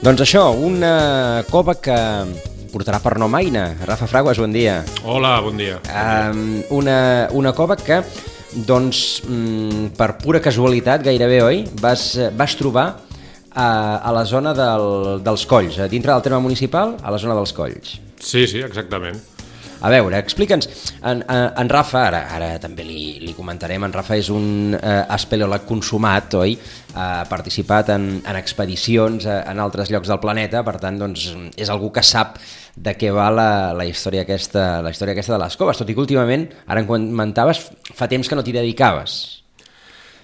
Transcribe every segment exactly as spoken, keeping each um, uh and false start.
Doncs això, una cova que portarà per nom Aina. Rafa Fraguas, bon dia. Hola, bon dia. Um, una, una cova que, doncs, um, per pura casualitat, gairebé, oi, vas, vas trobar a, a la zona del, dels Colls, a dintre del terme municipal, a la zona dels Colls. Sí, sí, exactament. A veure, explica'ns, en, en Rafa, ara, ara també li, li comentarem, en Rafa és un eh, espeleòleg consumat, oi? Ha participat en, en expedicions eh, en altres llocs del planeta, per tant, doncs, és algú que sap de què va la, la, història aquesta, la història aquesta de les coves, tot i que últimament, ara en comentaves, fa temps que no t'hi dedicaves.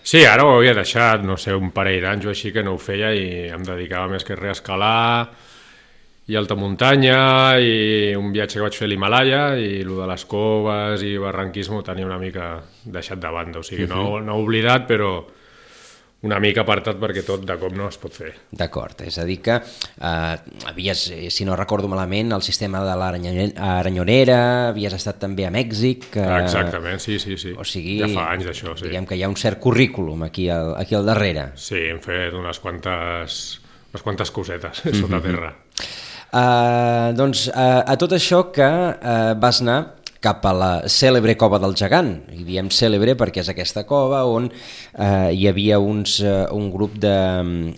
Sí, ara ho havia deixat, no sé, un parell d'anys o així que no ho feia i em dedicava més que res a escalar i alta muntanya i un viatge que vaig fer a l'Himalaya i el de les coves i barranquisme ho tenia una mica deixat de banda, o sigui, no, no he oblidat, però una mica apartat perquè tot de cop no es pot fer. D'acord, és a dir que eh, havies, si no recordo malament, el sistema de l'Aranyonera, havies estat també a Mèxic... Eh, Exactament, sí, sí, sí. O sigui, ja fa anys d'això, sí. Diguem que hi ha un cert currículum aquí al, aquí al darrere. Sí, hem fet unes quantes, unes quantes cosetes sota terra. Uh, doncs uh, a tot això que uh, vas anar cap a la cèlebre cova del Gegant, i diem cèlebre perquè és aquesta cova on uh, hi havia uns, uh, un grup de,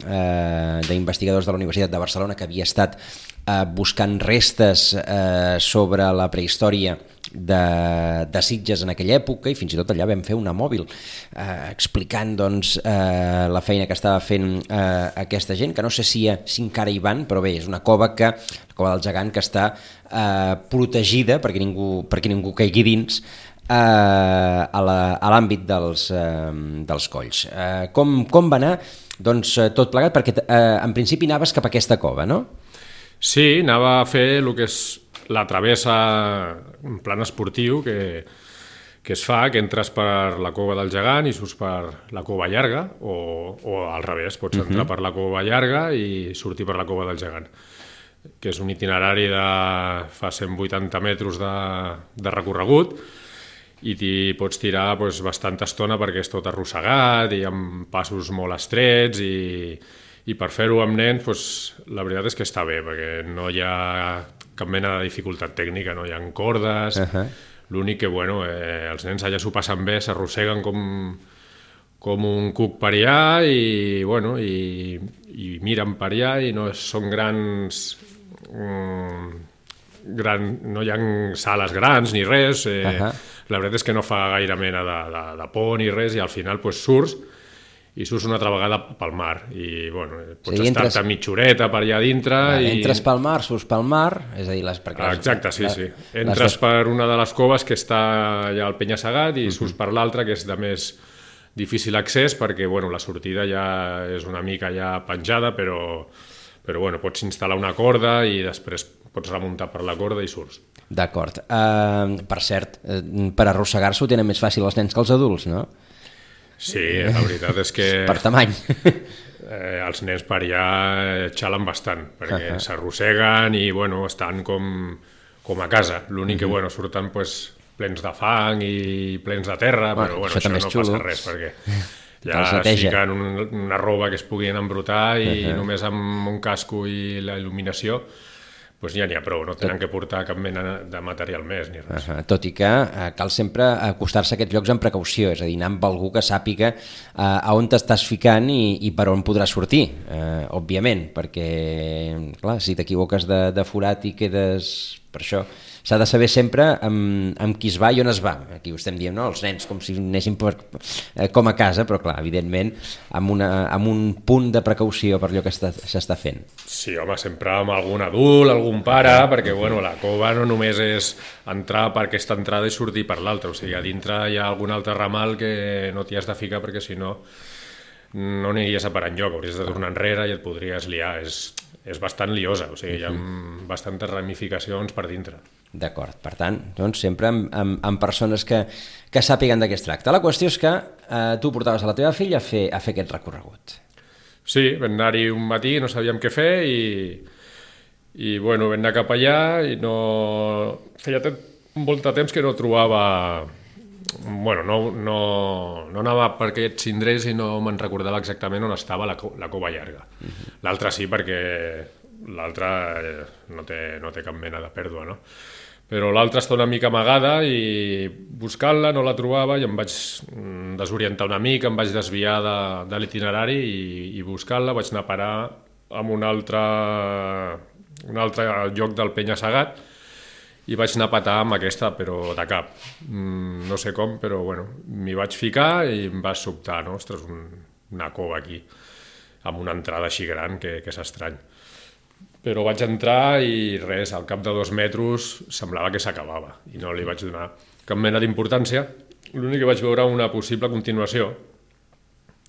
uh, d'investigadors de la Universitat de Barcelona que havia estat uh, buscant restes uh, sobre la prehistòria de, de Sitges en aquella època, i fins i tot allà vam fer una mòbil eh, explicant doncs, eh, la feina que estava fent eh, aquesta gent, que no sé si, si encara hi van, però bé, és una cova que, la cova del Gegant, que està eh, protegida perquè ningú, perquè ningú caigui dins eh, a, la, a l'àmbit dels, eh, dels colls. Eh, com, com va anar? Doncs eh, tot plegat, perquè eh, en principi anaves cap a aquesta cova, no? Sí, anava a fer el que és la travessa en plan esportiu que, que es fa, que entres per la cova del Gegant i surts per la cova llarga, o, o al revés, pots entrar uh-huh. per la cova llarga i sortir per la cova del Gegant, que és un itinerari de fa cent vuitanta metres de, de recorregut i t'hi pots tirar doncs, bastanta estona perquè és tot arrossegat i amb passos molt estrets i, i per fer-ho amb nens doncs, la veritat és que està bé perquè no hi ha cap mena de dificultat tècnica, no hi ha cordes, uh-huh. l'únic que, bueno, eh, els nens allà s'ho passen bé, s'arrosseguen com, com un cuc per allà i, bueno, i, i miren per allà i no són grans, mm, gran, no hi ha sales grans ni res, eh, uh-huh. la veritat és que no fa gaire mena de, de, de por ni res i al final pues, surts i surts una altra vegada pel mar i bueno, pots sí, estar-te entres... mitja horeta per allà dintre ah, i... Entres pel mar, surts pel mar, és a dir, les... Ah, exacte, sí, sí. Entres les... per una de les coves que està allà al Penya-segat i uh-huh. surts per l'altra que és de més difícil accés perquè bueno, la sortida ja és una mica ja penjada però, però bueno, pots instal·lar una corda i després pots remuntar per la corda i surts. D'acord. Uh, per cert, per arrossegar-se ho tenen més fàcil els nens que els adults, no? Sí, la veritat és que... per tamany. eh, els nens per allà xalen bastant, perquè uh-huh. s'arrosseguen i bueno, estan com, com a casa. L'únic uh-huh. que bueno, surten pues, plens de fang i plens de terra, bueno, però bueno, això, això no xulo. Passa res, perquè ja es fiquen un, una roba que es puguin embrutar i uh-huh. només amb un casco i la il·luminació doncs ja n'hi ha prou, no tenen que portar cap mena de material més ni res. Uh-huh. Tot i que eh, cal sempre acostar-se a aquests llocs amb precaució, és a dir, anar amb algú que sàpiga eh, a on t'estàs ficant i, i per on podràs sortir, eh, òbviament, perquè, clar, si t'equivoques de, de forat i quedes per això, s'ha de saber sempre amb, amb qui es va i on es va. Aquí ho estem dient, no? Els nens, com si anessin per, eh, com a casa, però clar, evidentment, amb, una, amb un punt de precaució per allò que està, s'està fent. Sí, home, sempre amb algun adult, algun pare, perquè bueno, la cova no només és entrar per aquesta entrada i sortir per l'altra, o sigui, a dintre hi ha algun altre ramal que no t'hi has de ficar perquè si no no aniries a parar enlloc, hauries de tornar enrere i et podries liar. És, és bastant liosa, o sigui, hi ha bastantes ramificacions per dintre. D'acord, per tant, doncs sempre amb, amb, amb persones que, que sàpiguen de què es tracta. La qüestió és que eh, tu portaves a la teva filla a fer, a fer aquest recorregut. Sí, vam anar-hi un matí, no sabíem què fer i, i bueno, vam anar cap allà i no... Feia molt de temps que no trobava... Bueno, no, no, no anava per aquests indrets i no me'n recordava exactament on estava la, la cova llarga. Uh-huh. L'altre sí, perquè l'altre no, té, no té cap mena de pèrdua, no? Però l'altra està una mica amagada i buscant-la no la trobava i em vaig desorientar una mica, em vaig desviar de, de l'itinerari i, i buscant-la vaig anar a parar en un altre, un altre lloc del penya-segat i vaig anar a patar amb aquesta, però de cap. Mm, no sé com, però bueno, m'hi vaig ficar i em va sobtar, no? Ostres, un, una cova aquí, amb una entrada així gran que, que és estrany. Però vaig entrar i res, al cap de dos metres semblava que s'acabava i no li vaig donar cap mena d'importància. L'únic que vaig veure una possible continuació,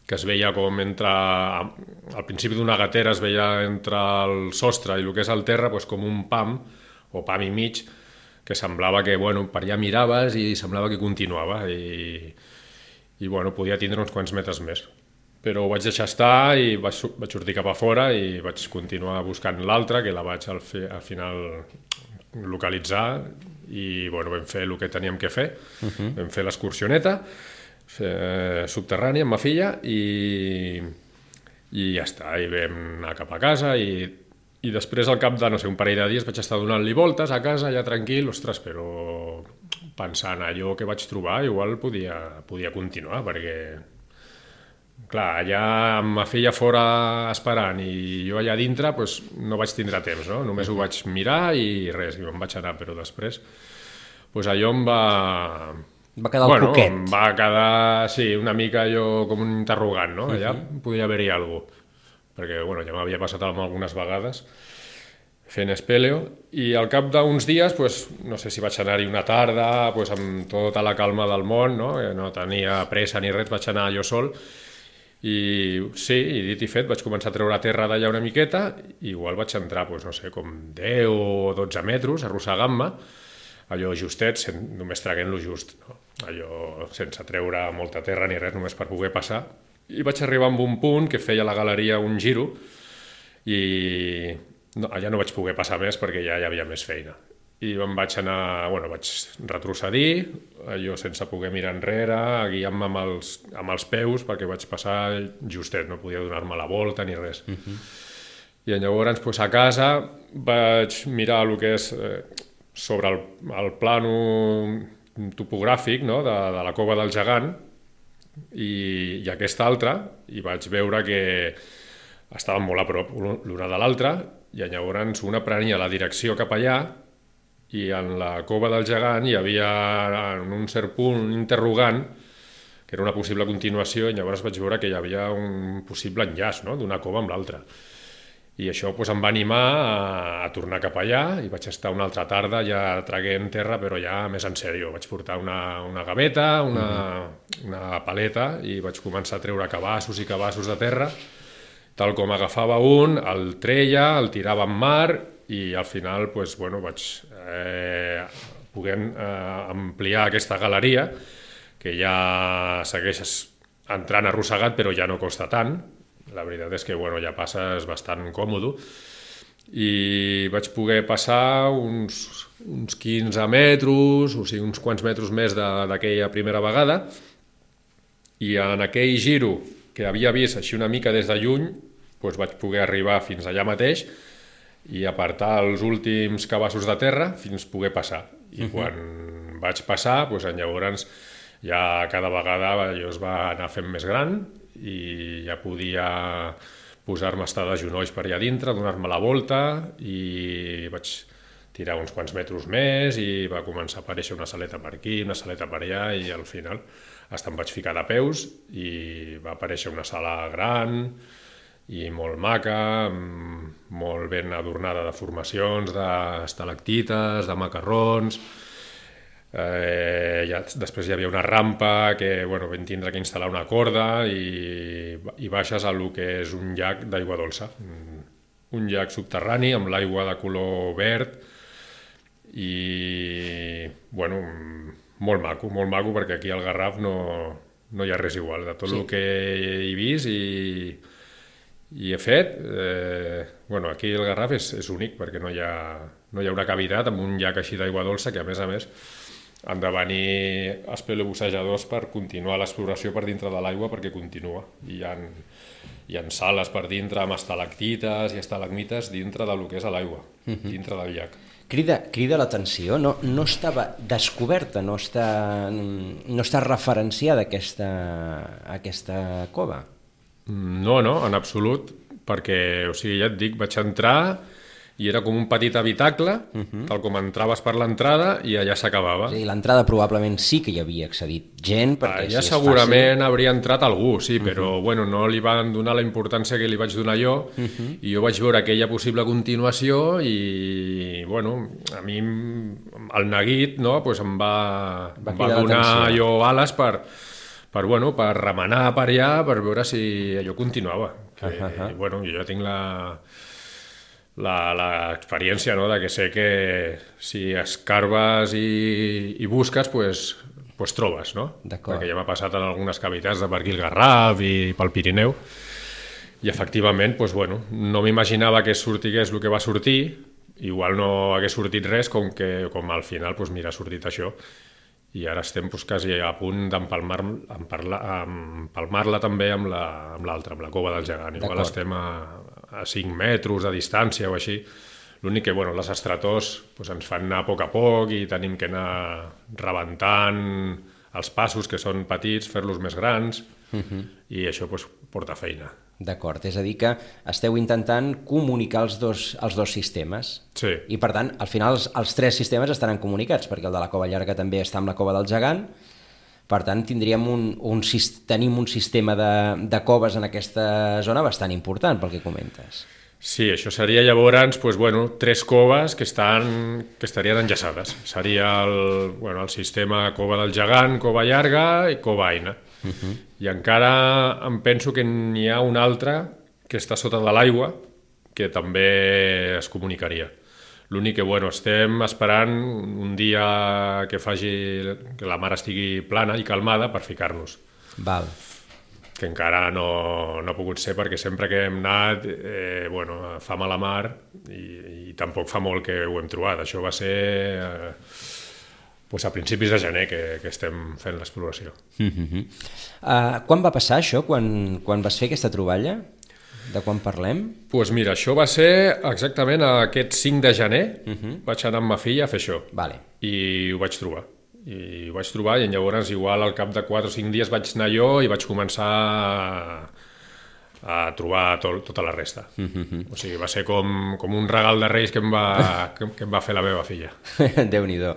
que es veia com entre... Al principi d'una gatera es veia entre el sostre i el que és el terra doncs com un pam, o pam i mig, que semblava que, bueno, per allà miraves i semblava que continuava i, i bueno, podia tindre uns quants metres més. Però ho vaig deixar estar i vaig, vaig sortir cap a fora i vaig continuar buscant l'altra, que la vaig al, fi, al final localitzar i, bueno, vam fer el que teníem que fer. Uh-huh. Vam fer l'excursioneta eh, subterrània amb ma filla i, i ja està, i vam anar cap a casa i I després, al cap de, no sé, un parell de dies, vaig estar donant-li voltes a casa, ja tranquil, ostres, però pensant allò que vaig trobar, igual podia, podia continuar, perquè, clar, allà amb ma filla fora esperant i jo allà dintre, doncs no vaig tindre temps, no? Només ho vaig mirar i res, i me'n vaig anar, però després, doncs allò em va... Va quedar el bueno, coquet. Em va quedar, sí, una mica allò com un interrogant, no? Allà uh-huh. Podia haver-hi alguna cosa. Perquè bueno, ja m'havia passat algunes vegades fent espeleo, i al cap d'uns dies, pues, no sé si vaig anar-hi una tarda, pues, amb tota la calma del món, no? No tenia pressa ni res, vaig anar jo sol, i sí, i dit i fet, vaig començar a treure terra d'allà una miqueta, i igual vaig entrar, pues, no sé, com deu o dotze metres, arrossegant-me, allò justet, sen, només traguent-lo just, no? Allò sense treure molta terra ni res, només per poder passar. I vaig arribar a un punt que feia la galeria un giro i no, allà no vaig poder passar més perquè ja hi havia més feina. I em vaig anar, bueno, vaig retrocedir, allò sense poder mirar enrere, guiant-me amb els, amb els peus perquè vaig passar justet, no podia donar-me la volta ni res. Uh-huh. I llavors, pues, a casa vaig mirar el que és eh, sobre el, el plano topogràfic, no? de, de la cova del gegant, i, i aquesta altra, i vaig veure que estaven molt a prop l'una de l'altra, i llavors una prenia la direcció cap allà, i en la cova del gegant hi havia en un cert punt un interrogant, que era una possible continuació, i llavors vaig veure que hi havia un possible enllaç, no? D'una cova amb l'altra. I això pues, em va animar a, a tornar cap allà i vaig estar una altra tarda ja traguent terra, però ja més en sèrio. Vaig portar una, una gaveta, una, mm-hmm. una paleta i vaig començar a treure cabassos i cabassos de terra. Tal com agafava un, el treia, el tirava en mar i al final pues, bueno, vaig eh, poder eh, ampliar aquesta galeria, que ja segueixes entrant arrossegat però ja no costa tant. La veritat és que bueno, ja passes bastant còmode i vaig poder passar uns, uns quinze metres, o sigui, uns quants metres més d'aquella primera vegada, i en aquell giro que havia vist així una mica des de lluny, doncs vaig poder arribar fins allà mateix i apartar els últims cabassos de terra fins poder passar. I uh-huh. quan vaig passar, doncs llavors ja cada vegada allò es va anar fent més gran i ja podia posar-me a estar de genolls per allà dintre, donar-me la volta, i vaig tirar uns quants metres més i va començar a aparèixer una saleta per aquí, una saleta per allà, i al final hasta em vaig ficar de peus i va aparèixer una sala gran i molt maca, molt ben adornada de formacions, d'estalactites, de macarrons. Eh, ja, després hi havia una rampa que bueno, vam tindre que instal·lar una corda i, i baixes a lo que és un llac d'aigua dolça, un, un llac subterrani amb l'aigua de color verd i bueno, molt maco, molt maco perquè aquí al Garraf no, no hi ha res igual, de tot sí. el que he vist i, i he fet, eh, bueno, aquí el Garraf és, és únic perquè no hi, ha, no hi ha una cavitat amb un llac així d'aigua dolça que a més a més han de venir els paleobussejadors per continuar l'exploració per dintre de l'aigua perquè continua. I hi ha, hi ha sales per dintre amb estalactites i estalagmites dintre del que és l'aigua, uh-huh. dintre del llac. Crida, crida l'atenció, no, no estava descoberta, no està, no està referenciada aquesta, aquesta cova? No, no, en absolut, perquè, o sigui, ja et dic, vaig entrar i era com un petit habitacle, uh-huh. tal com entraves per l'entrada i allà s'acabava. Sí, l'entrada probablement sí que hi havia accedit gent, perquè allà si és segurament fàcil... hauria entrat algú, sí, uh-huh. però bueno, no li van donar la importància que li vaig donar jo, uh-huh. i jo vaig veure aquella possible continuació i, bueno, a mi el neguit, no?, pues em va, va, em va donar allò ales per, per, bueno, per remenar per allà, per veure si allò continuava. Que, uh-huh. i, bueno, jo ja tinc la... l'experiència, no?, de que sé que si escarbes i, i busques, pues, pues trobes, no? Perquè ja m'ha passat en algunes cavitats de per aquí el Garraf i pel Pirineu i efectivament, pues, bueno, no m'imaginava que sortigués el que va sortir, igual no hagués sortit res, com que com al final pues, mira, ha sortit això i ara estem pues, quasi a punt d'empalmar-la empalmar també amb l'altra, amb la cova del Gegant. Igual estem a a cinc metres de distància o així. L'únic que, bueno, les estrators pues, ens fan anar a poc a poc i tenim que anar rebentant els passos, que són petits, fer-los més grans, uh-huh. i això pues, porta feina. D'acord, és a dir que esteu intentant comunicar els dos, els dos sistemes. Sí. I per tant, al final els, els tres sistemes estaran comunicats, perquè el de la Cova Llarga també està amb la Cova del Gegant. Per tant, tindríem un, un, tenim un sistema de, de coves en aquesta zona bastant important, pel que comentes. Sí, això seria llavors pues, bueno, tres coves que, estan, que estarien enllaçades. Seria el, bueno, el sistema Cova del Gegant, Cova Llarga i Cova Aina. Uh-huh. I encara em penso que n'hi ha un altre que està sota de l'aigua que també es comunicaria. L'únic que, bueno, estem esperant un dia que faci que la mar estigui plana i calmada per ficar-nos. Val. Que encara no, no ha pogut ser perquè sempre que hem anat, eh, bueno, fa mala mar i, i tampoc fa molt que ho hem trobat. Això va ser eh, pues a principis de gener que, que estem fent l'exploració. Uh-huh. Uh, quan va passar això, quan, quan vas fer aquesta troballa? De quan parlem? Doncs pues mira, això va ser exactament aquest cinc de gener, uh-huh. vaig anar amb ma filla a fer això, vale. I ho vaig trobar. I ho vaig trobar i llavors igual al cap de quatre o cinc dies vaig anar jo i vaig començar a, a trobar tot, tota la resta. Uh-huh. O sigui, va ser com, com un regal de Reis que em va, que, que em va fer la meva filla. Déu-n'hi-do.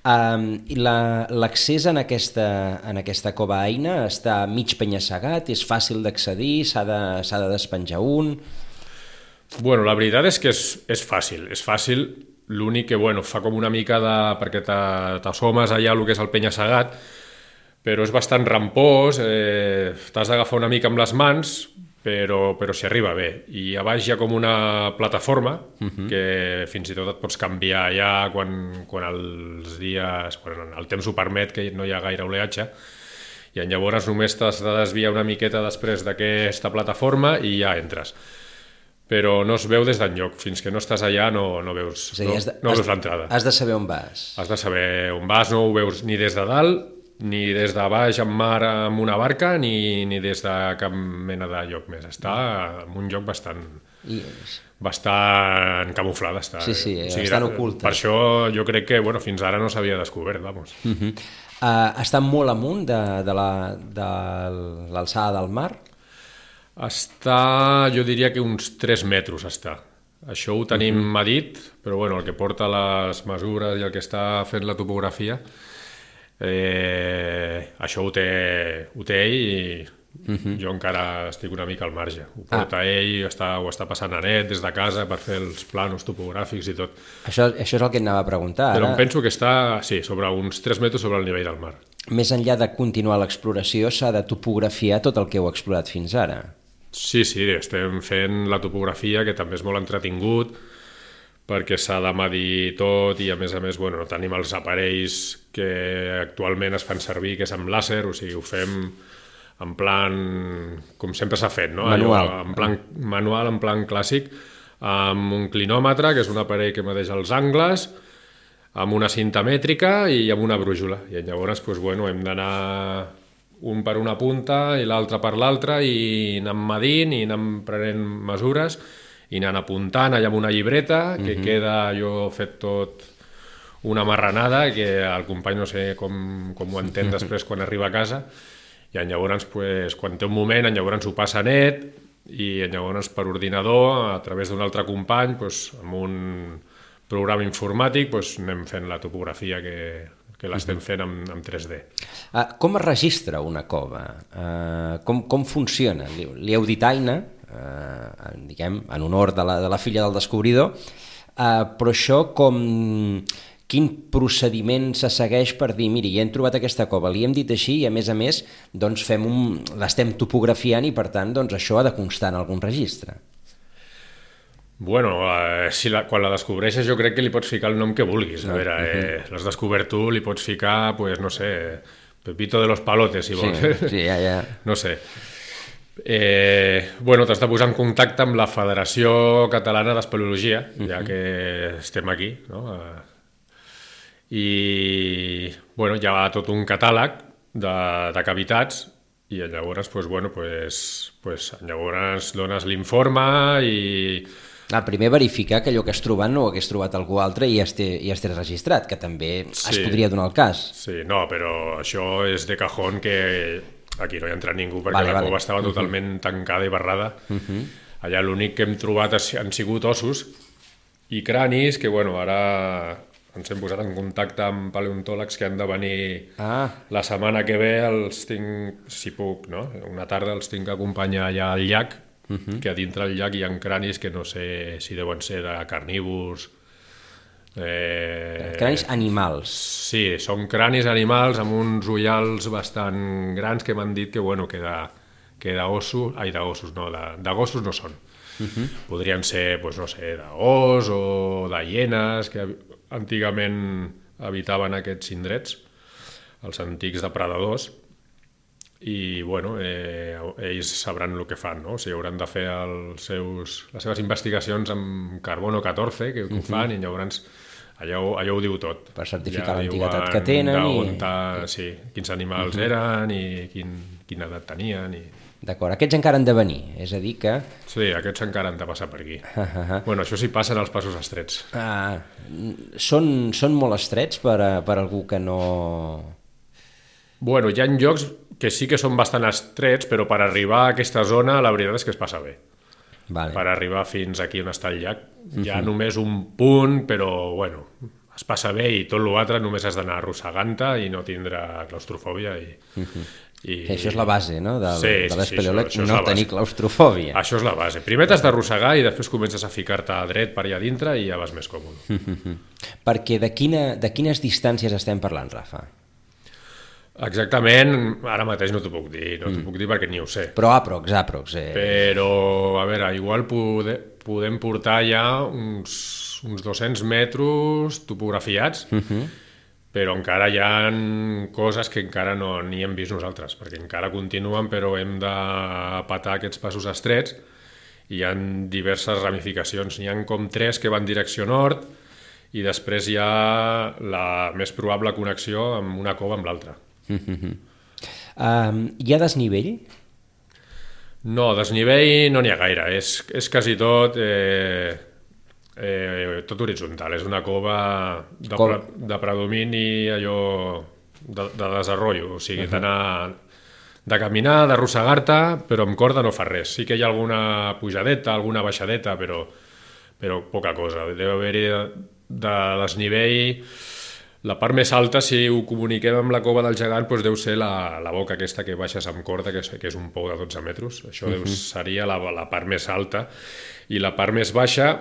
Um, I l'accés en, aquesta, en aquesta cova Aina està mig penya-segat, és fàcil d'accedir, s'ha de, s'ha de despenjar un... Bueno, la veritat és que és, és fàcil, és fàcil, l'únic que, bueno, fa com una mica de... perquè t'assomes allà el que és el penya-segat, però és bastant rampós, eh, t'has d'agafar una mica amb les mans, però, però s'hi arriba bé. I a baix hi ha com una plataforma uh-huh. que fins i tot et pots canviar allà quan, quan els dies, quan el temps ho permet, que no hi ha gaire oleatge, i llavors només t'has de desviar una miqueta després d'aquesta plataforma i ja entres. Però no es veu des d'enlloc, fins que no estàs allà no, no veus, dir, no, de, no veus l'entrada. Has de saber on vas. Has de saber on vas, no ho veus ni des de dalt, ni des de baix en mar amb una barca, ni, ni des de cap mena de lloc més. Està en un lloc bastant, yes. bastant camuflada. Està, sí, sí, o sigui, bastant oculta. Per això jo crec que bueno, fins ara no s'havia descobert, vamos. Uh-huh. uh, està molt amunt de, de l'alçada del mar? Està, jo diria que uns tres metres està. Això ho tenim uh-huh. medit, però bueno, el que porta les mesures i el que està fent la topografia, eh, això ho té, ho té ell i, Uh-huh. Jo encara estic una mica al marge. Ho porta ah. ell, està, ho està passant a net des de casa per fer els planos topogràfics i tot. Això, això és el que et anava a preguntar. Però ara... em penso que està, sí, sobre uns tres metres sobre el nivell del mar. Més enllà de continuar l'exploració, s'ha de topografiar tot el que heu explorat fins ara. Sí, sí, estem fent la topografia, que també és molt entretingut, perquè s'ha de medir tot i, a més a més, bueno, no tenim els aparells que actualment es fan servir, que és amb làser, o sigui, ho fem en plan, com sempre s'ha fet, no? Manual. Allò, en plan manual, en plan clàssic, amb un clinòmetre, que és un aparell que medeix els angles, amb una cinta mètrica i amb una brújula. I llavors, doncs, bueno, hem d'anar un per una punta i l'altre per l'altra i anant medint i anant prenent mesures i anant apuntant allà amb una llibreta, que uh-huh. queda, jo he fet tot una marranada, que el company no sé com, com ho entén després quan arriba a casa. I llavors, pues, quan té un moment, llavors ho passa net i llavors per ordinador, a través d'un altre company, pues, amb un programa informàtic, pues, anem fent la topografia que, que l'estem fent amb, amb tres D. Uh, com es registra una cova? Uh, com, com funciona? Li, li heu dit Aina, uh, diguem, en honor de la, de la filla del descobridor, uh, però això com... Quin procediment se segueix per dir, miri, ja hem trobat aquesta cova, li hem dit així i, a més a més, doncs fem un... l'estem topografiant i, per tant, doncs això ha de constar en algun registre? Bueno, eh, si la, quan la descobreixes jo crec que li pots ficar el nom que vulguis. A veure, eh, l'has descobert tu, li pots ficar, pues, no sé, Pepito de los Palotes, si vols. Sí, sí, ja, ja. No sé. Eh, bueno, t'has de posar en contacte amb la Federació Catalana d'Espeleologia, uh-huh. ja que estem aquí, no?, i bueno, hi ha tot un catàleg de, de cavitats i llavors, pues, bueno, pues, pues, llavors dones l'informe i... Ah, primer verificar que allò que has trobat no ho hagués trobat algú altre i ja estés registrat, que també sí, es podria donar el cas. Sí, no, però això és de cajón, que aquí no hi ha entrat ningú perquè vale, la vale. cova estava uh-huh. totalment tancada i barrada. Uh-huh. Allà l'únic que hem trobat han sigut ossos i cranis, que bueno, ara... ens hem posat en contacte amb paleontòlegs que han de venir ah. la setmana que ve, els tinc, si puc, no? Una tarda els tinc que acompanyar allà al llac, uh-huh. que a dintre del llac hi ha cranis que no sé si deuen ser de carnívors. Eh... Cranis animals. Sí, són cranis animals amb uns ullals bastant grans que m'han dit que, bueno, que de, que d'ossos, ai, d'ossos, no, de, de gossos no són. Uh-huh. Podrien ser, pues, no sé, d'os o de hienes, que antigament habitaven aquests indrets, els antics depredadors, i bueno, eh, ells sabran el que fan, no? O sigui, hauran de fer els seus, les seves investigacions amb carbono catorze, que, que ho fan, uh-huh. i llavors allà ho, allà ho diu tot. Per certificar ja l'antiguitat que tenen. I... Ta, sí, quins animals uh-huh. eren i quin, quina edat tenien. I... D'acord, aquests encara han de venir, és a dir que... Sí, aquests encara han de passar per aquí. Uh-huh. Bueno, això sí passen els passos estrets. Ah, són, són molt estrets per, a, per algú que no... Bueno, hi ha llocs que sí que són bastant estrets, però per arribar a aquesta zona la veritat és que es passa bé. Vale. Per arribar fins aquí on està el llac. Hi ha uh-huh. només un punt, però bueno, es passa bé i tot l'altre només has d'anar arrossegant-te i no tindrà claustrofòbia i... Uh-huh. I... Això és la base, no?, del, sí, de l'espeleòleg, sí, no tenir claustrofòbia. Això és la base. Primer t'has d'arrossegar i després comences a ficar-te a dret per allà dintre i ja vas més còmode. Perquè de, quina, de quines distàncies estem parlant, Rafa? Exactament, ara mateix no t'ho puc dir, no t'ho mm. puc dir perquè ni ho sé. Però aprox, aprox. Eh... Però, a veure, igual pode, podem portar ja uns, uns dos-cents metres topografiats, uh-huh. però encara hi ha coses que encara no n'hi hem vist nosaltres, perquè encara continuen, però hem de patar aquests passos estrets i hi ha diverses ramificacions. N'hi ha com tres que van direcció nord i després hi ha la més probable connexió amb una cova amb l'altra. Uh-huh. Um, hi ha desnivell? No, desnivell no n'hi ha gaire, és, és quasi tot... Eh, Eh, tot horitzontal, és una cova de, pre, de predomini allò de, de desenvolupament, o sigui, uh-huh. d'anar de caminar, d'arrossegar-te, però amb corda no fa res. Sí que hi ha alguna pujadeta, alguna baixadeta, però, però poca cosa. Deu haver-hi de, de desnivell La part més alta, si ho comuniquem amb la cova del gegant, doncs deu ser la, la boca aquesta que baixes amb corda, que és, que és un pou de dotze metres. Això deu, seria la, la part més alta. I la part més baixa,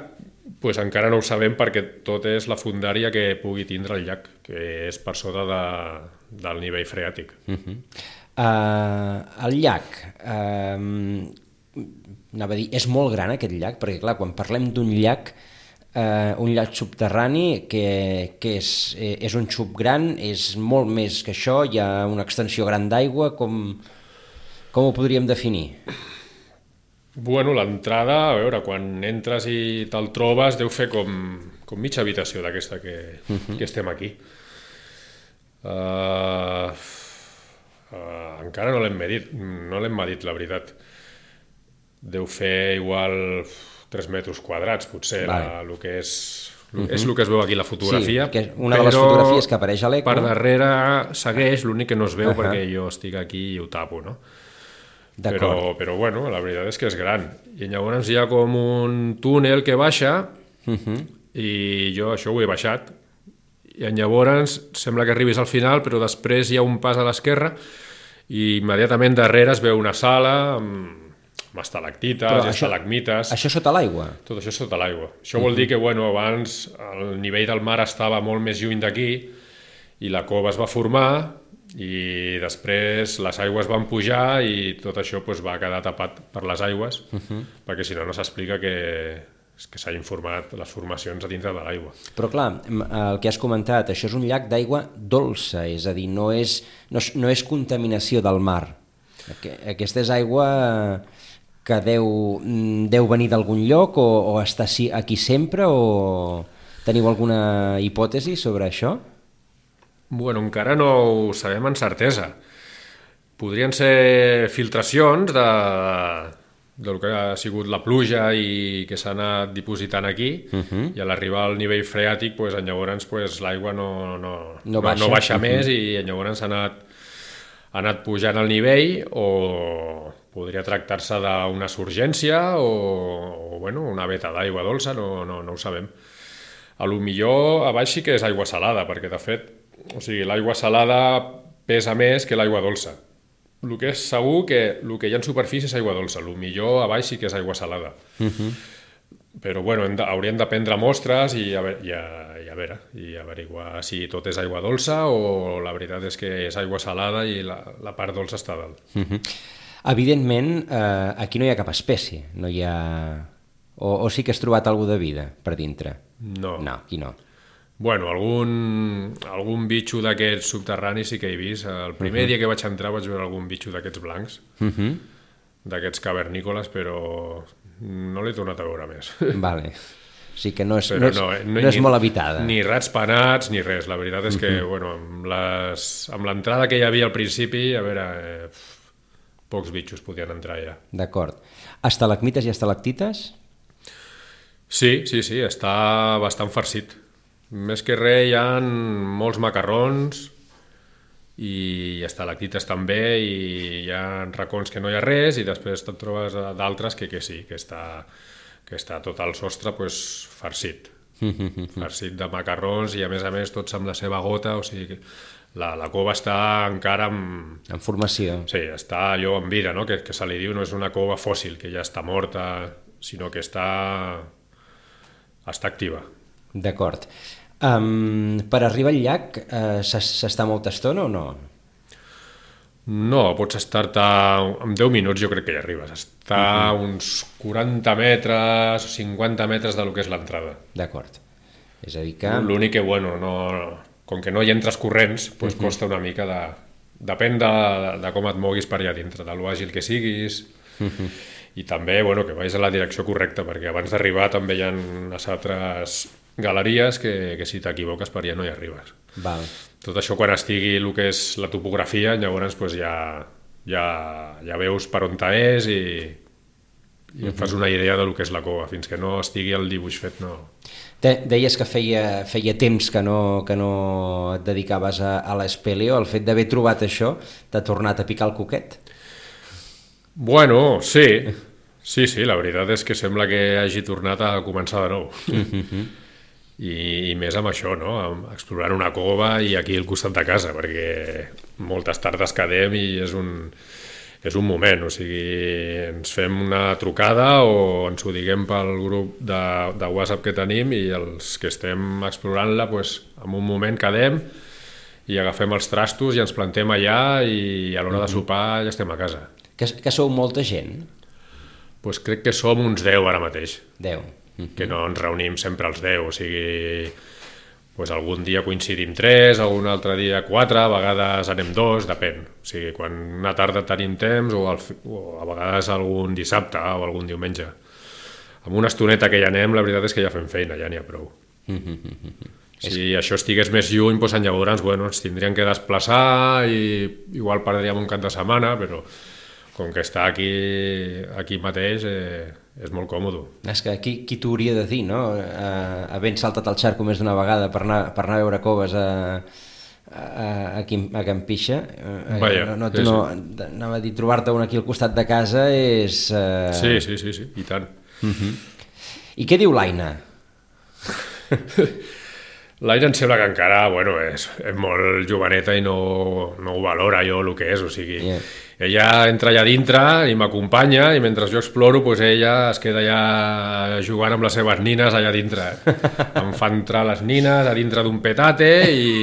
doncs encara no ho sabem perquè tot és la fundària que pugui tindre el llac, que és per sota de, del nivell freàtic. Uh-huh. uh, el llac, uh, anava a dir, és molt gran aquest llac, perquè clar, quan parlem d'un llac, uh, un llac subterrani, que, que és, és un xup gran, és molt més que això, hi ha una extensió gran d'aigua, com, com ho podríem definir? Bueno, l'entrada, a veure, quan entres i te'l trobes, deu fer com, com mitja habitació d'aquesta que, uh-huh. que estem aquí. Uh, uh, encara no l'hem medit, no l'hem medit, la veritat. Deu fer igual tres metres quadrats, potser, vale. la, el que és... Uh-huh. És el que es veu aquí la fotografia. Sí, que una de les fotografies que apareix a l'Eco. Per darrere segueix, l'únic que no es veu uh-huh. perquè jo estic aquí i ho tapo, no? Però, però bueno, la veritat és que és gran. I llavors hi ha com un túnel que baixa uh-huh. i jo això ho he baixat. I llavors sembla que arribis al final, però després hi ha un pas a l'esquerra i immediatament darrere es veu una sala amb, amb estalactites i estalagmites. Això sota l'aigua? Tot això sota l'aigua. Això uh-huh. vol dir que bueno, abans el nivell del mar estava molt més lluny d'aquí i la cova es va formar i després les aigües van pujar i tot això pues, va quedar tapat per les aigües uh-huh. perquè si no no s'explica que, que s'hagin format les formacions a dintre de l'aigua. Però clar, el que has comentat, això és un llac d'aigua dolça, és a dir, no és, no és, no és contaminació del mar. Aquesta és aigua que deu, deu venir d'algun lloc o, o està aquí sempre o teniu alguna hipòtesi sobre això? Bueno, encara no ho sabem amb certesa. Podrien ser filtracions de, del que ha sigut la pluja i que s'ha anat dipositant aquí uh-huh. i a l'arribar al nivell freàtic pues, llavors pues, l'aigua no, no, no baixa, no baixa uh-huh. més i llavors ha anat, ha anat pujant el nivell o podria tractar-se d'una surgència o, o bueno, una veta d'aigua dolça, no, no, no ho sabem. A lo millor a baix sí que és aigua salada, perquè de fet o sigui, l'aigua salada pesa més que l'aigua dolça. El que és segur que el que hi ha en superfície és aigua dolça, el millor a baix sí que és aigua salada. Uh-huh. Però bueno, hem de, hauríem de prendre mostres i a, veure, i, a, i a veure, i averiguar si tot és aigua dolça o la veritat és que és aigua salada i la, la part dolça està dalt. Uh-huh. Evidentment, eh, aquí no hi ha cap espècie, no hi ha... O, o sí que has trobat alguna de vida per dintre? No. No, aquí no. Bueno, algun, algun bitxo d'aquests subterranis sí que he vist. El primer uh-huh. dia que vaig entrar vaig veure algun bitxo d'aquests blancs, uh-huh. d'aquests cavernícoles, però no l'he tornat a veure més. Vale. O sigui que no és, no és, no, no, no és ni, molt habitada. Ni rats penats, ni res. La veritat és que, uh-huh. bueno, amb, les, amb l'entrada que hi havia al principi, a veure, eh, pocs bitxos podien entrar ja. D'acord. Estalagmites i estalactites? Sí, sí, sí, està bastant farcit. Més que res hi ha molts macarrons i estalactites també i hi ha racons que no hi ha res i després te'n trobes d'altres que, que sí, que està, que està tot el sostre pues, farcit. Farcit de macarrons i a més a més tots amb la seva gota, o sigui la, la cova està encara en... En formació. Sí, està allò en vida, no? que, que se li diu, no és una cova fòssil que ja està morta, sinó que està, està activa. D'acord. Um, per arribar al llac uh, s'està molta estona o no? No, pots estar-te en deu minuts, jo crec que hi arribes. Està uh-huh. uns quaranta metres o cinquanta metres del que és l'entrada. D'acord. És a dir que... L'únic que, bueno, no, com que no hi entres corrents, doncs uh-huh. costa una mica de... Depèn de, de com et moguis per allà dintre, de l'àgil que siguis. Uh-huh. I també, bueno, que vagis en la direcció correcta, perquè abans d'arribar també hi ha unes altres galeries que, que si t'equivoques per allà no hi arribes. Val. Tot això quan estigui el que és la topografia, llavors pues, ja, ja, ja veus per on és i, i uh-huh. et fas una idea del que és la cova. Fins que no estigui el dibuix fet, no... De, deies que feia, feia temps que no, que no et dedicaves a, a l'espeleo. El fet d'haver trobat això t'ha tornat a picar el coquet? Bueno, sí. Sí, sí, la veritat és que sembla que hagi tornat a començar de nou. Uh-huh. i, i més amb això, no? Amb explorant una cova i aquí al costat de casa, perquè moltes tardes quedem i és un, és un moment, o sigui, ens fem una trucada o ens ho diguem pel grup de, de WhatsApp que tenim i els que estem explorant-la, doncs, en un moment quedem i agafem els trastos i ens plantem allà i a l'hora de sopar ja estem a casa. Que, que sou molta gent? Pues crec que som uns deu ara mateix. Deu. Mm-hmm. Que no ens reunim sempre els deu, o sigui, pues algun dia coincidim tres, algun altre dia quatre, a vegades anem dos, depèn. O sigui, quan una tarda tenim temps o, al, o a vegades algun dissabte o algun diumenge. Amb una estoneta que ja anem, la veritat és que ja fem feina, ja n'hi ha prou. Mm-hmm. Si això estigués més lluny, doncs llavors bueno, ens tindríem que desplaçar i igual perdríem un cap de setmana, però com que està aquí, aquí mateix eh, és molt còmode. És que qui, qui t'ho hauria de dir, no? Uh, havent saltat el xarco més d'una vegada per anar, per anar a veure coves a, a, a, a Can Pixa, uh, Vaja, no, no, sí, no, sí. anava a dir, trobar-te un aquí al costat de casa és... Uh... Sí, sí, sí, sí, i tant. Uh-huh. I què diu l'Aina? L'Aina em sembla que encara bueno, és, és molt joveneta i no, no ho valora jo el que és, o sigui, yeah. Ella entra allà dintre i m'acompanya i mentre jo exploro pues ella es queda allà jugant amb les seves nines allà dintre. Em fa entrar les nines a dintre d'un petate i,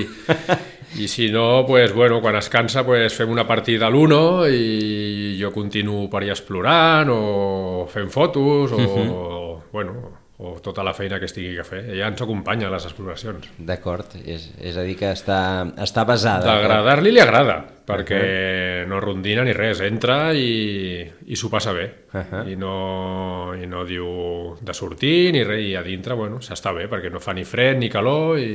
i si no, pues, bueno, quan es cansa pues, fem una partida a l'uno i jo continuo per allà explorant o fent fotos o, uh-huh. bueno... o tota la feina que estigui a fer. Ella ens acompanya a les exploracions. D'acord, és, és a dir que està, està basada. D'agradar-li li agrada, perquè uh-huh. no rondina ni res, entra i, i s'ho passa bé. Uh-huh. I, no, I no diu de sortir ni res, i a dintre, bueno, s'està bé, perquè no fa ni fred ni calor i...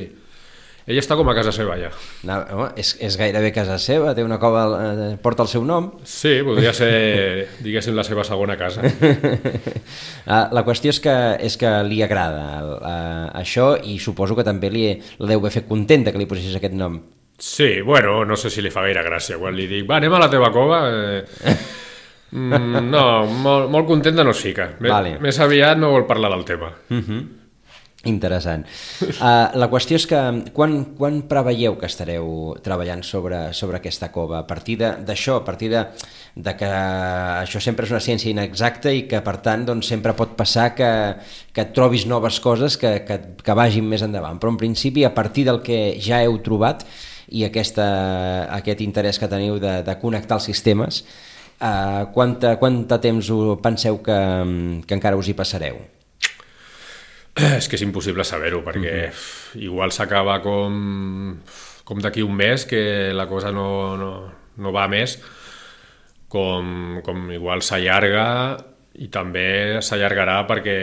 Ella està com a casa seva, ja. No, home, és, és gairebé casa seva, té una cova, eh, porta el seu nom. Sí, podria ser, diguéssim, la seva segona casa. La qüestió és que, és que li agrada uh, això i suposo que també li, la deu haver fet contenta que li posessis aquest nom. Sí, bueno, no sé si li fa gaire gràcia. Quan li dic, va, anem a la teva cova... Eh... mm, no, molt, molt contenta no es fica. Vale. Més aviat no vol parlar del tema. Mhm. Interessant. Uh, la qüestió és que quan, quan preveieu que estareu treballant sobre, sobre aquesta cova? A partir d'això, a partir de, de que això sempre és una ciència inexacta i que per tant doncs, sempre pot passar que, que et trobis noves coses que, que, que vagin més endavant, però en principi a partir del que ja heu trobat i aquesta, aquest interès que teniu de, de connectar els sistemes, uh, quanta, quanta temps penseu que, que encara us hi passareu? És que és impossible saber-ho, perquè uh-huh. igual s'acaba com, com d'aquí un mes, que la cosa no, no, no va més, com, com igual s'allarga i també s'allargarà perquè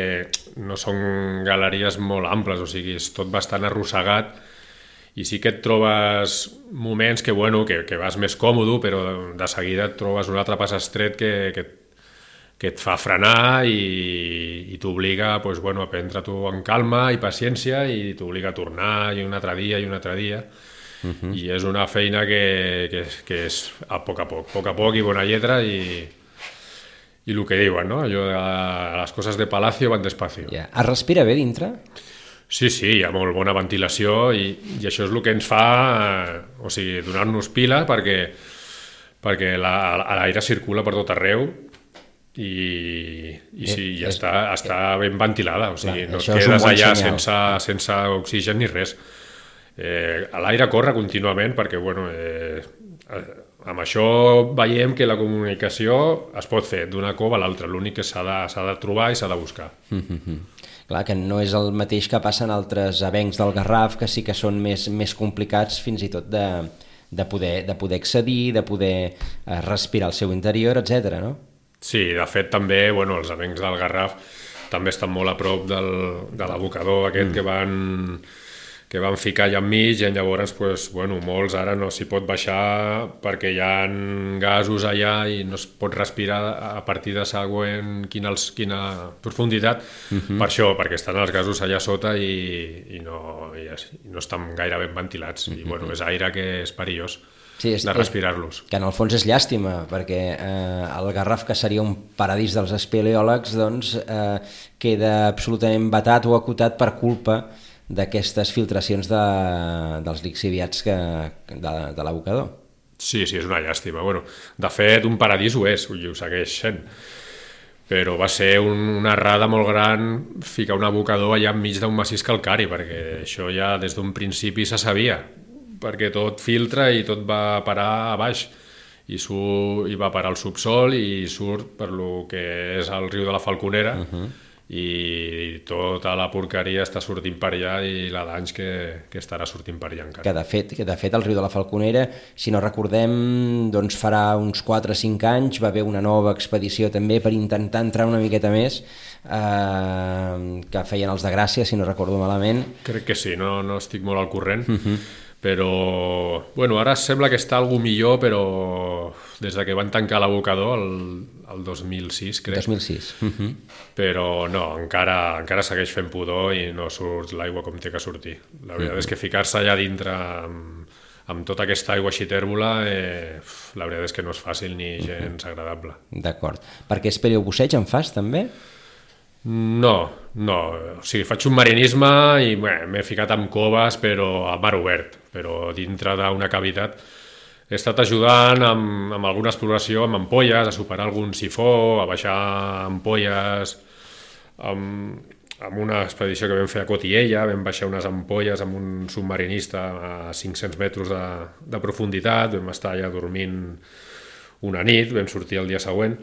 no són galeries molt amples, o sigui, és tot bastant arrossegat i sí que et trobes moments que, bueno, que, que vas més còmode, però de seguida et trobes un altre pas estret que, que que et fa frenar i, i t'obliga pues, bueno, a prendre-t'ho en calma i paciència i t'obliga a tornar i un altre dia i un altre dia. Uh-huh. I és una feina que, que, que és a poc a poc, a poc a poc i bona lletra i, i el que diuen, no? Allò de les coses de palacio van despacio. Yeah. Es respira bé dintre? Sí, sí, hi ha molt bona ventilació i, i això és el que ens fa, o sigui, donar-nos pila perquè, perquè l'aire la, circula per tot arreu i, i sí, ja està, està ben ventilada, o sigui, no et quedes allà sense, sense oxigen ni res. Eh, l'aire corre contínuament perquè, bueno, eh, amb això veiem que la comunicació es pot fer d'una cova a l'altra, l'únic que s'ha de, s'ha de trobar i s'ha de buscar. Mm-hmm. Clar, que no és el mateix que passa en altres avencs del Garraf, que sí que són més, més complicats fins i tot de, de, poder, de poder accedir, de poder respirar al seu interior, etcètera, no? Sí, de fet també, bueno, els avencs del Garraf també estan molt a prop del, de l'abocador aquest mm. que van que van ficar allà enmig i llavors pues, bueno, molts ara no s'hi pot baixar perquè hi ha gasos allà i no es pot respirar a partir de següent quina, quina profunditat, mm-hmm. per això, perquè estan els gasos allà sota i, i, no, i, i no estan gaire ben ventilats, mm-hmm. i bueno, és aire que és perillós. Sí, és, de respirar-los. Que en el fons és llàstima, perquè eh, el Garraf, que seria un paradís dels espeleòlegs, doncs, eh, queda absolutament vetat o acotat per culpa d'aquestes filtracions de, dels lixiviats que, de, de l'abocador. Sí, sí, és una llàstima. Bueno, de fet, un paradís ho és, i ho segueix sent. Però va ser un, una errada molt gran ficar un abocador allà enmig d'un massís calcari, perquè això ja des d'un principi se sabia, perquè tot filtra i tot va parar a baix, i, surt, i va parar al subsol i surt per lo que és el riu de la Falconera, uh-huh. i tota la porqueria està sortint per allà i la danys que, que estarà sortint per allà encara. Que de fet, que de fet el riu de la Falconera, si no recordem, doncs farà uns quatre o cinc anys va haver una nova expedició també per intentar entrar una miqueta més, eh, que feien els de Gràcia, si no recordo malament. Crec que sí, no, no estic molt al corrent, uh-huh. però bueno, ara sembla que està algú millor, però des de que van tancar l'abocador el, el dos mil sis, crec. dos mil sis. Uh-huh. Però no, encara, encara segueix fent pudor i no surt l'aigua com té que sortir. La veritat uh-huh. és que ficar-se allà dintre amb, amb tota aquesta aigua així tèrbola, eh, la veritat és que no és fàcil ni gens agradable. D'acord. Perquè és paleobusseig en fas, també? No, no. O sigui, faig un marinisme i bé, m'he ficat amb coves, però a mar obert, però dintre d'una cavitat. He estat ajudant amb, amb alguna exploració, amb ampolles, a superar algun sifó, a baixar ampolles, amb, amb una expedició que vam fer a Cotiella, vam baixar unes ampolles amb un submarinista a cinc-cents metres de, de profunditat, vam estar allà dormint una nit, vam sortir el dia següent,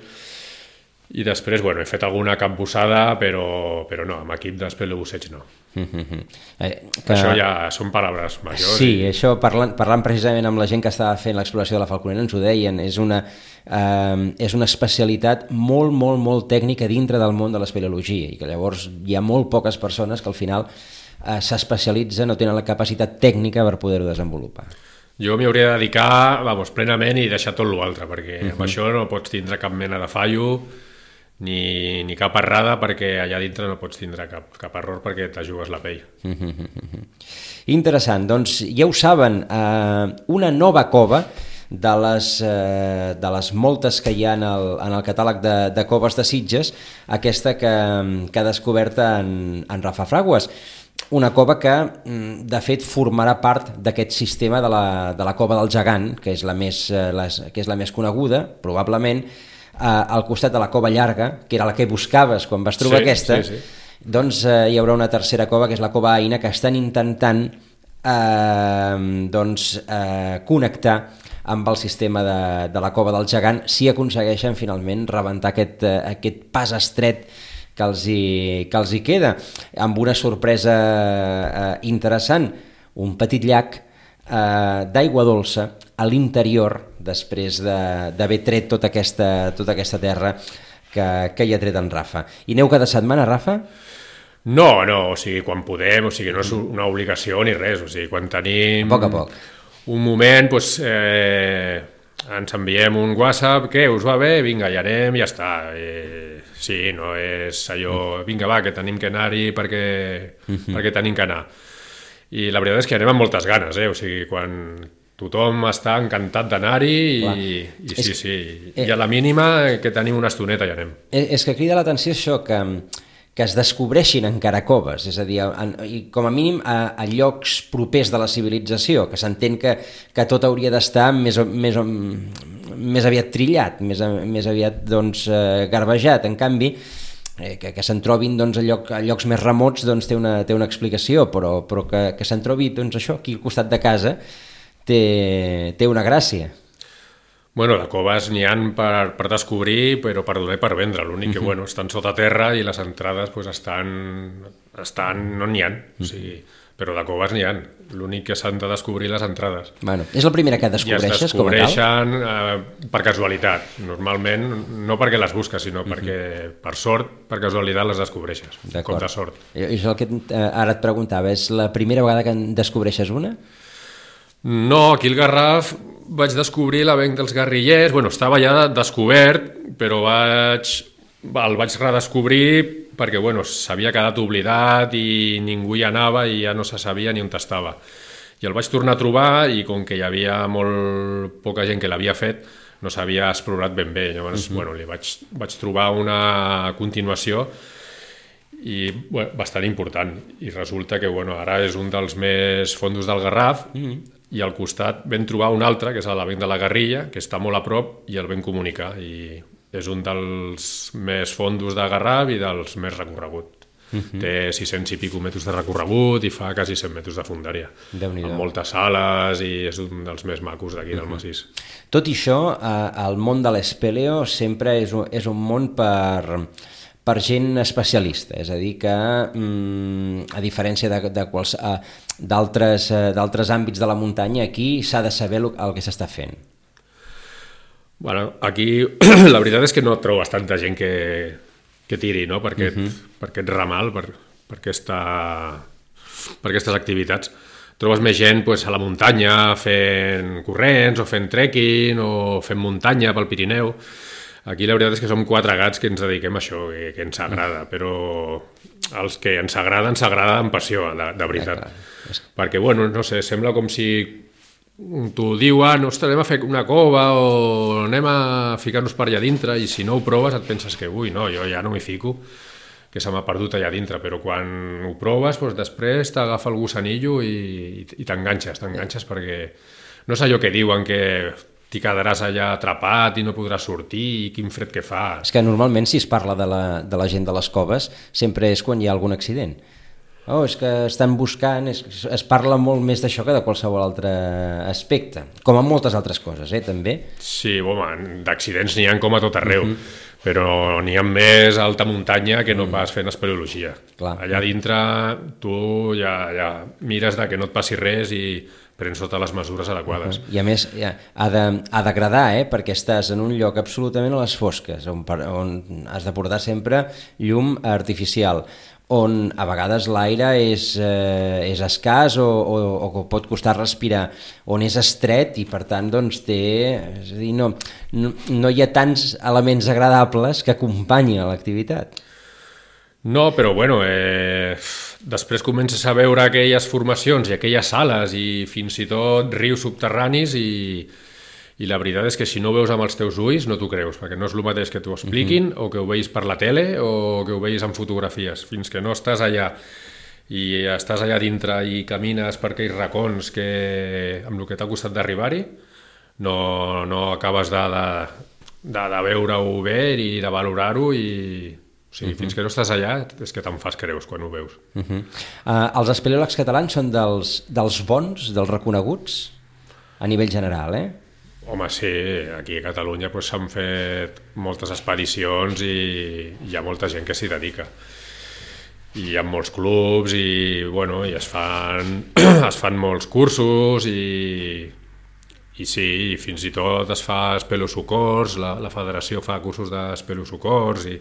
i després, bueno, he fet alguna capbussada, però, però no, amb equip d'espeleobusseig no. Mm-hmm. eh, que... Això ja són paraules majors. Sí, i... això parlant, parlant precisament amb la gent que estava fent l'exploració de la Falconera ens ho deien, és una, eh, és una especialitat molt, molt, molt tècnica dintre del món de l'espeleologia i que llavors hi ha molt poques persones que al final eh, s'especialitzen o tenen la capacitat tècnica per poder-ho desenvolupar. Jo m'hi hauria de dedicar, vamos, plenament i deixar tot l'altre, perquè uh-huh. amb això no pots tindre cap mena de fallo, Ni, ni cap errada, perquè allà dintre no pots tindre cap, cap error perquè te jugues la pell. Mm-hmm. Interessant, doncs ja ho saben, eh, una nova cova de les, eh, de les moltes que hi ha en el, en el catàleg de, de coves de Sitges, aquesta que, que ha descobert en, en Rafa Fraguas. Una cova que, de fet, formarà part d'aquest sistema de la, de la cova del Gegant, que és la més, les, que és la més coneguda, probablement, Uh, al costat de la cova llarga, que era la que buscaves quan vas trobar sí, aquesta, sí, sí. doncs uh, hi haurà una tercera cova, que és la cova Aina, que estan intentant uh, doncs, uh, connectar amb el sistema de, de la cova del Gegant, si aconsegueixen finalment rebentar aquest, uh, aquest pas estret que els hi, que els hi queda, amb una sorpresa uh, interessant, un petit llac uh, d'aigua dolça a l'interior, després d'haver de, tret tota aquesta, tota aquesta terra que, que hi ha tret en Rafa. I aneu cada setmana, Rafa? No, no, o sigui, quan podem, o sigui, no és una obligació ni res, o sigui, quan tenim... A poc a poc. Un moment, doncs, eh, ens enviem un WhatsApp, què, us va bé? Vinga, ja anem, ja està. Eh, sí, no és allò, vinga, va, que tenim que anar-hi perquè, uh-huh. perquè tenim que anar. I la veritat és que anem amb moltes ganes, eh? O sigui, quan... Tothom està encantat d'anar-hi i, i sí, sí, i a la mínima que tenim una estoneta ja anem. És que crida l'atenció això, que, que es descobreixin encara coves, és a dir, en, i com a mínim a, a llocs propers de la civilització, que s'entén que, que tot hauria d'estar més, més, més aviat trillat, més, més aviat doncs, garbejat. En canvi, eh, que, que se'n trobin doncs, a, lloc, a llocs més remots doncs, té, una, té una explicació, però, però que, que se'n trobi doncs, això aquí al costat de casa Té, té una gràcia. Bueno, de coves n'hi ha per, per descobrir, però per donar i per vendre. L'únic que, uh-huh. bueno, estan sota terra i les entrades pues, estan, estan... no n'hi ha. Uh-huh. O sigui, però de coves n'hi ha. L'únic que s'han de descobrir les entrades. Bueno, és la primera que descobreixes, I es descobreixen eh, per casualitat. Normalment, no perquè les busques, sinó uh-huh. perquè, per sort, per casualitat les descobreixes. Com de sort. I això el que eh, ara et preguntava, és la primera vegada que en descobreixes una? No, aquí al Garraf vaig descobrir l'avenc dels guerrillers, bueno, estava ja descobert, però vaig, el vaig redescobrir perquè bueno, s'havia quedat oblidat i ningú hi anava i ja no se sabia ni on estava. I el vaig tornar a trobar i com que hi havia molt poca gent que l'havia fet, no s'havia explorat ben bé. Llavors, uh-huh. bueno, li vaig, vaig trobar una continuació i bueno, bastant important. I resulta que bueno, ara és un dels més fondos del Garraf, mm-hmm. i al costat vam trobar un altre, que és l'Avenc de la Garriga, que està molt a prop, i el vam comunicar. I és un dels més fondos de Garraf i dels més recorregut. Uh-huh. Té sis-cents i pico metres de recorregut i fa quasi cent metres de fondària, amb moltes sales, i és un dels més macos d'aquí uh-huh. del massís. Tot i això, eh, el món de l'espeleo sempre és un, és un món per, per gent especialista, és a dir que mm, a diferència de, de quals, eh, d'altres, eh, d'altres àmbits de la muntanya, aquí s'ha de saber el, el que s'està fent. Bueno, aquí la veritat és que no trobes tanta gent que que tiri, no? per, aquest, uh-huh. per aquest ramal, per, per, aquesta, per aquestes activitats. Trobes més gent pues, a la muntanya fent corrents o fent trekking o fent muntanya pel Pirineu. Aquí la veritat és que som quatre gats que ens dediquem a això, que, que ens agrada, però els que ens agrada, ens agrada amb passió, de, de veritat. Ja, perquè, bueno, no sé, sembla com si t'ho diuen, ostres, anem a fer una cova o anem a ficar-nos per allà dintre, i si no ho proves et penses que, ui, no, jo ja no m'hi fico, que se m'ha perdut allà dintre, però quan ho proves, doncs després t'agafa el gusanillo i, i t'enganxes, t'enganxes perquè no és allò que diuen que t'hi quedaràs allà atrapat i no podràs sortir i quin fred que fa. És que normalment si es parla de la, de la gent de les coves sempre és quan hi ha algun accident. Oh, és que estan buscant, es, es parla molt més d'això que de qualsevol altre aspecte, com en moltes altres coses, eh, també. Sí, home, d'accidents n'hi ha com a tot arreu, uh-huh. però n'hi ha més a alta muntanya que no uh-huh. pas fent espeleologia. Clar. Allà dintre tu ja, ja mires de que no et passi res i prens totes les mesures adequades. Uh-huh. I a més ja, ha, de, ha d'agradar, eh, perquè estàs en un lloc absolutament a les fosques, on, on has de portar sempre llum artificial, on a vegades l'aire és, eh, és escàs o, o, o pot costar respirar, on és estret i per tant doncs, té, és a dir, no, no, no hi ha tants elements agradables que acompanyin l'activitat. No, però bueno, eh, després comences a veure aquelles formacions i aquelles sales i fins i tot rius subterranis i I la veritat és que si no ho veus amb els teus ulls no t'ho creus, perquè no és el mateix que t'ho expliquin uh-huh. o que ho veis per la tele o que ho veis en fotografies. Fins que no estàs allà i estàs allà dintre i camines per aquells racons que, amb el que t'ha costat d'arribar-hi, no, no acabes de, de, de, de veure-ho bé i de valorar-ho i... O sigui, uh-huh. fins que no estàs allà és que te'n fas creus quan ho veus. Uh-huh. Uh, els espeleòlegs catalans són dels, dels bons, dels reconeguts a nivell general, eh? Home, sí, aquí a Catalunya pues, s'han fet moltes expedicions i hi ha molta gent que s'hi dedica. I hi ha molts clubs i, bueno, i es fan, es fan molts cursos i, i sí, i fins i tot es fa espelosocors, la, la federació fa cursos d'espelosocors i,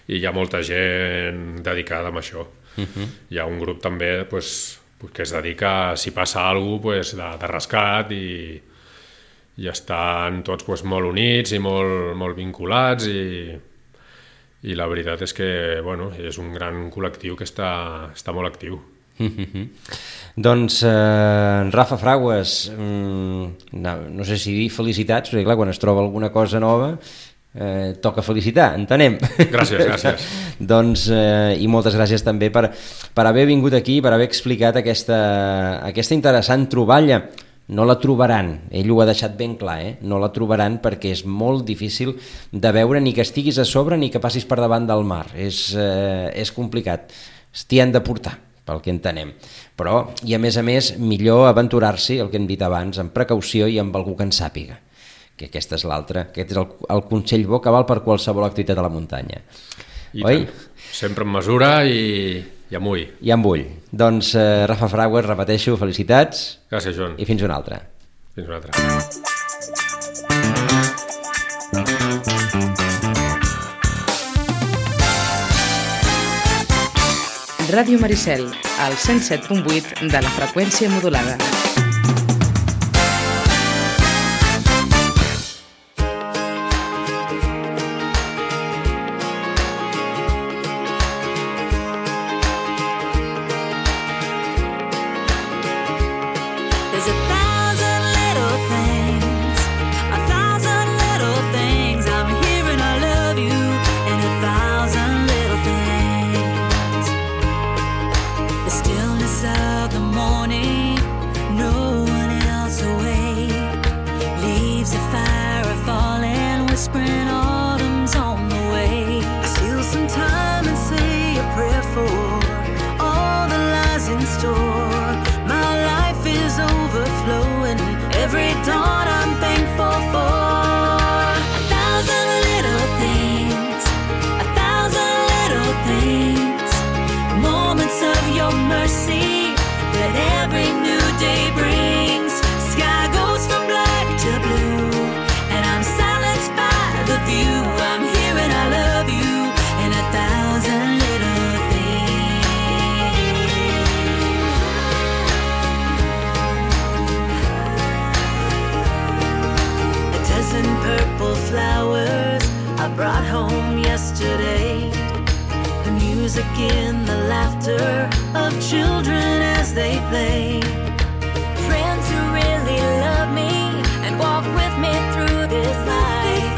i hi ha molta gent dedicada a això. Uh-huh. Hi ha un grup també pues, que es dedica, si passa alguna cosa, pues, de, de rescat i i estan tots pues, molt units i molt, molt vinculats i, i la veritat és que bueno, és un gran col·lectiu que està, està molt actiu. Mm-hmm. Doncs eh, Rafa Fragues, mm, no, no sé si dir felicitats, perquè clar, quan es troba alguna cosa nova eh, toca felicitar, entenem. Gràcies, gràcies. Doncs, eh, i moltes gràcies també per, per haver vingut aquí, per haver explicat aquesta, aquesta interessant troballa. No la trobaran, ell ho ha deixat ben clar, eh? No la trobaran perquè és molt difícil de veure ni que estiguis a sobre ni que passis per davant del mar, és, eh, és complicat, t'hi han de portar, pel que entenem. Però, i a més a més, millor aventurar-s'hi, el que hem dit abans, amb precaució i amb algú que en sàpiga, que aquesta és l'altra, aquest és el, el consell bo que val per qualsevol activitat a la muntanya. I oi? Tant. Sempre en mesura i... I amb ull. I amb ull. Doncs, eh, Rafa Fragues, repeteixo, felicitats. Gràcies, Joan. I fins una altra. Fins una altra. Ràdio Maricel, al cent set punt vuit de la freqüència modulada. Thousand little things home yesterday. The music in the laughter of children as they play. Friends who really love me and walk with me through this life.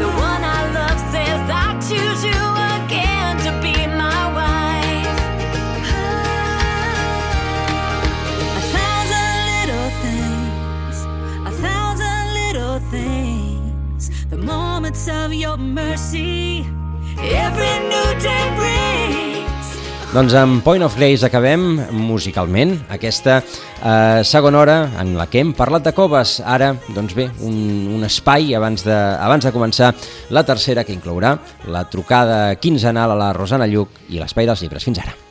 The one I love says I choose you again to be my wife. A thousand little things, a thousand little things, the moments of your mercy, every new day brings. Doncs amb Point of Grace acabem musicalment aquesta eh, segona hora en la que hem parlat de coves. Ara, doncs bé, un, un espai abans de, abans de començar la tercera, que inclourà la trucada quinzenal a la Rosana Lluc i l'Espai dels Llibres. Fins ara.